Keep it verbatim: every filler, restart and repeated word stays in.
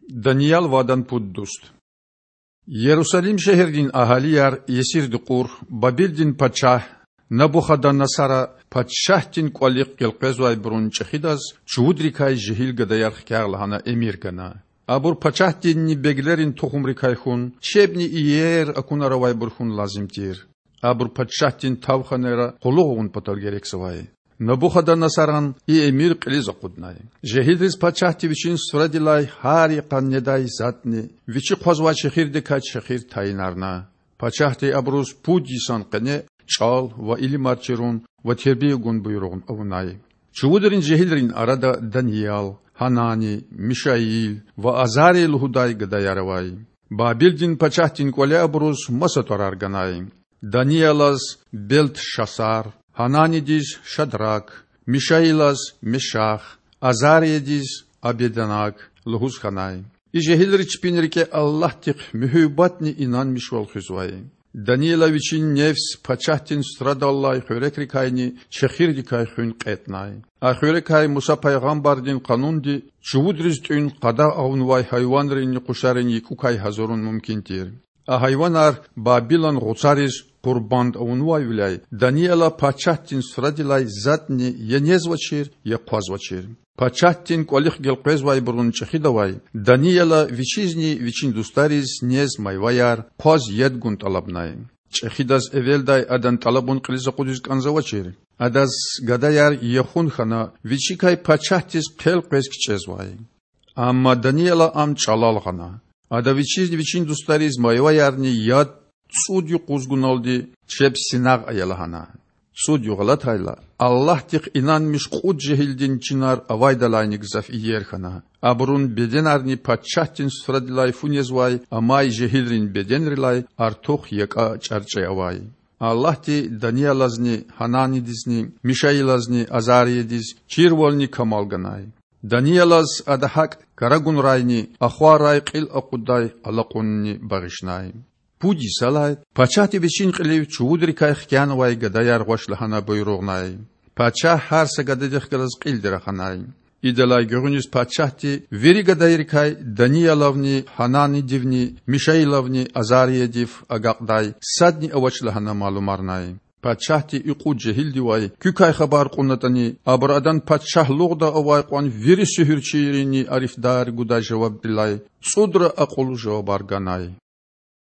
Даниял ва адан пуд дуст. Ярусалим шегьердин агьалияр есирди кьур Бабилдин пачагь Набухаданасара пачагьдин кІвалихъ гелкъвезвайбурун чІехидаз чувудрикай жегьил гадаяр хкягъ лагьана эмир гана. Абур пачагьдинни беглерин тухумрикай хьун, чебни иер акунар авайбур хьун лазим тир. Абур пачагьдин тавханайра къуллугъ авун патал герекзавай. Набухаданасаран и эмир кьилиз акъуднай. Жегьилриз пачагьди вичин суфрадилай гьар йикъан недай затІни, вичи хъвазвай чехирдикай чехир тайинарна. Пачагьди абуруз пуд йисан къене чІал ва илимар чирун ва тербия гун буйругъ авунай. Чувудрин жегьилрин арада Даниял, Гьанани, Мишаил ва Азария лугьудай гадаяр авай. Бабилдин пачагьдин кІвале абуруз маса тІварар ганай. Даниялаз Белтшасар, Гьананидиз Шадрак, Мишаилаз Мешах, Азариядиз Абеднаг лугьуз хьанай. И жегьилри чпин рикІе Аллагьдихъ муьгьуьббатни инанмишвал хуьзвай. Данияла вичин нефс пачагьдин суфрадаллай хуьрекрикайни чехирдикай хуьн кьетІнай. А хуьрекай Муса пайгъамбардин къанунди чувудриз тІуьн къадагъа авунвай гьайванринни къушарин якІукай гьазурун мумкин тир. А гьайванар Бабилан гъуцариз къурбанд авунвайвиляй Данияла пачагьдин суфрадилай затІни я незвачир, я хъвазвачир. Пачагьдин кІвалихъ гелкъвезвайбурун чІехидавай Данияла вичизни вичин дустариз нез майваяр, хъваз яд гун тІалабнай. ЧІехидаз эвелдай адан тІалабун кьилиз акъудиз кІанзавачир. Адаз гадаяр яхун хьана, вичикай пачагьдиз хъел къвез кичІезвай. Амма Данияла ам чІалал гъана. Ада вичизни вичин дустариз майваярни яд цІуд юкъуз гуналди чеб синагъ ая лагьана. ЦІуд югъ алатайла, Аллагьдихъ инанмиш кьуд жегьилдин чинар авайдалайни гзаф иер хьана. Абурун беденарни пачагьдин суфрадилай фу незвай амай жегьилрин беденрилай артух якІа чІарчІе авай. Аллагьди Даниялазни, Гьананидизни, Мишаилазни, Азариядиз чирвални камал ганай. Даниялаз Ада гьакІ карагунрайни ахваррай кьил акъуддай алакьунни багъишнай. Пуд йисалай пачагьди вичин кьилив чувудрикай хкянавай гадаяр гъваш лагьана буйругънай. Пачагь гьар са гададихъ галаз кьилди раханай. Идалай гуьгъуьниз пачагьди вири гадайрикай Даниялавни, Гьананидивни, Мишаилавни Азариядив агакьдай садни авач лагьана малумарнай. Пачагьди и кьуд жегьилдивай куькай хабар кьунатІани, абуру адан пачагьлугъда авай кьван вири суьгьуьрчийрини арифдар гудай жавабдилай цІудра акьуллу жавабар ганай.